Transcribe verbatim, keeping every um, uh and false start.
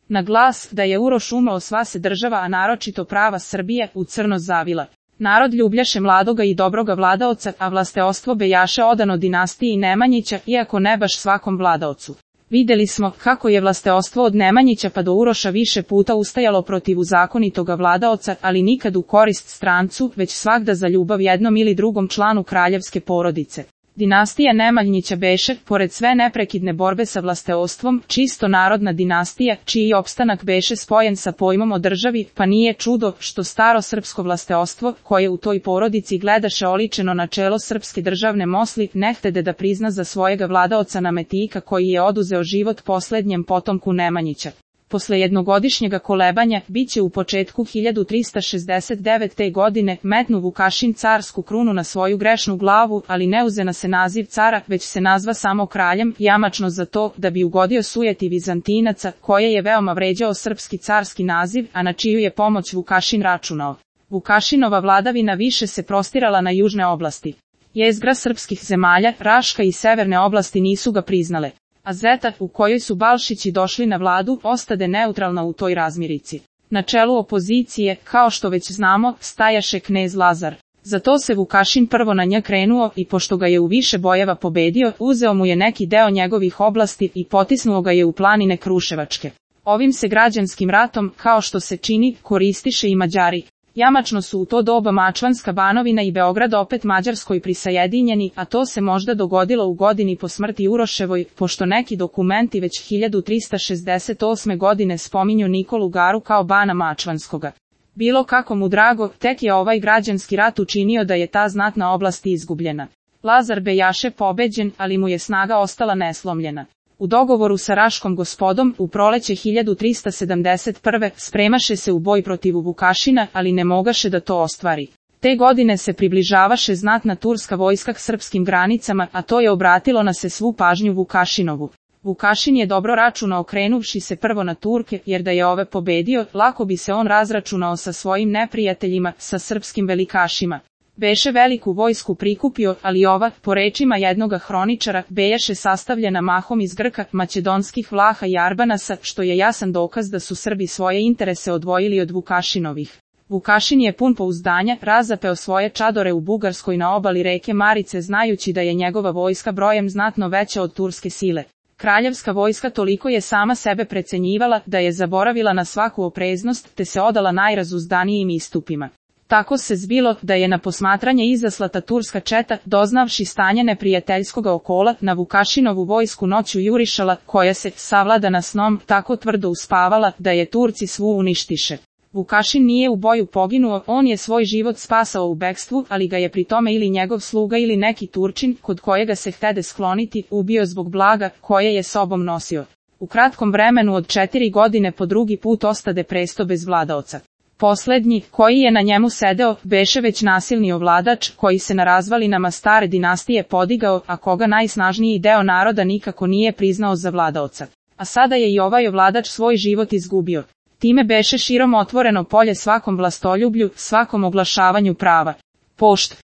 Na glas da je Uroš umro sva se država, a naročito prava Srbije, u crno zavila. Narod ljubljaše mladoga i dobroga vladaoca, a vlasteostvo bejaše odano dinastiji Nemanjića, iako ne baš svakom vladaocu. Videli smo kako je vlasteostvo od Nemanjića pa do Uroša više puta ustajalo protiv zakonitoga vladaoca, ali nikad u korist strancu, već svagda za ljubav jednom ili drugom članu kraljevske porodice. Dinastija Nemanjića beše, pored sve neprekidne borbe sa vlasteostvom, čisto narodna dinastija, čiji opstanak beše spojen sa pojmom o državi, pa nije čudo što staro srpsko vlasteostvo, koje u toj porodici gledaše oličeno načelo srpske državne mosli, nehtede da prizna za svojega vladaoca Nametika koji je oduzeo život poslednjem potomku Nemanjića. Posle jednogodišnjega kolebanja, bit će u početku hiljadu trista šezdeset devete. godine metnu Vukašin carsku krunu na svoju grešnu glavu, ali ne uzena se naziv cara, već se nazva samo kraljem, jamačno za to da bi ugodio sujeti Vizantinaca, koje je veoma vređao srpski carski naziv, a na čiju je pomoć Vukašin računao. Vukašinova vladavina više se prostirala na južne oblasti. Jezgra srpskih zemalja, Raška i severne oblasti nisu ga priznale. A Zeta, u kojoj su Balšići došli na vladu, ostade neutralna u toj razmirici. Na čelu opozicije, kao što već znamo, stajaše knez Lazar. Zato se Vukašin prvo na nj krenuo i pošto ga je u više bojeva pobedio, uzeo mu je neki deo njegovih oblasti i potisnuo ga je u planine Kruševačke. Ovim se građanskim ratom, kao što se čini, koristiše i Mađari. Jamačno su u to doba Mačvanska banovina i Beograd opet Mađarskoj prisajedinjeni, a to se možda dogodilo u godini po smrti Uroševoj, pošto neki dokumenti već hiljadu trista šezdeset osme. godine spominju Nikolu Garu kao bana Mačvanskoga. Bilo kako mu drago, tek je ovaj građanski rat učinio da je ta znatna oblast izgubljena. Lazar bejaše pobeđen, ali mu je snaga ostala neslomljena. U dogovoru sa Raškom gospodom, u proleće hiljadu trista sedamdeset prve. spremaše se u boj protiv Vukašina, ali ne mogaše da to ostvari. Te godine se približavaše znatna turska vojska k srpskim granicama, a to je obratilo na se svu pažnju Vukašinovu. Vukašin je dobro računao krenuvši se prvo na Turke, jer da je ove pobedio, lako bi se on razračunao sa svojim neprijateljima, sa srpskim velikašima. Beše veliku vojsku prikupio, ali ova, po rečima jednoga hroničara, bejaše sastavljena mahom iz Grka, makedonskih Vlaha i Arbanasa, što je jasan dokaz da su Srbi svoje interese odvojili od Vukašinovih. Vukašin je pun pouzdanja, razapeo svoje čadore u Bugarskoj na obali reke Marice znajući da je njegova vojska brojem znatno veća od turske sile. Kraljevska vojska toliko je sama sebe precenjivala da je zaboravila na svaku opreznost te se odala najrazuzdanijim istupima. Tako se zbilo da je na posmatranje izaslata turska četa, doznavši stanje neprijateljskoga okola, na Vukašinovu vojsku noću jurišala, koja se, savladana snom, tako tvrdo uspavala da je Turci svu uništiše. Vukašin nije u boju poginuo, on je svoj život spasao u bekstvu, ali ga je pri tome ili njegov sluga ili neki Turčin, kod kojega se htede skloniti, ubio zbog blaga, koje je sobom nosio. U kratkom vremenu od četiri godine po drugi put ostade presto bez vladaoca. Poslednji, koji je na njemu sedeo, beše već nasilni ovladač, koji se na razvalinama stare dinastije podigao, a koga najsnažniji deo naroda nikako nije priznao za vladaoca. A sada je i ovaj ovladač svoj život izgubio. Time beše širom otvoreno polje svakom vlastoljublju, svakom oglašavanju prava. Pošt.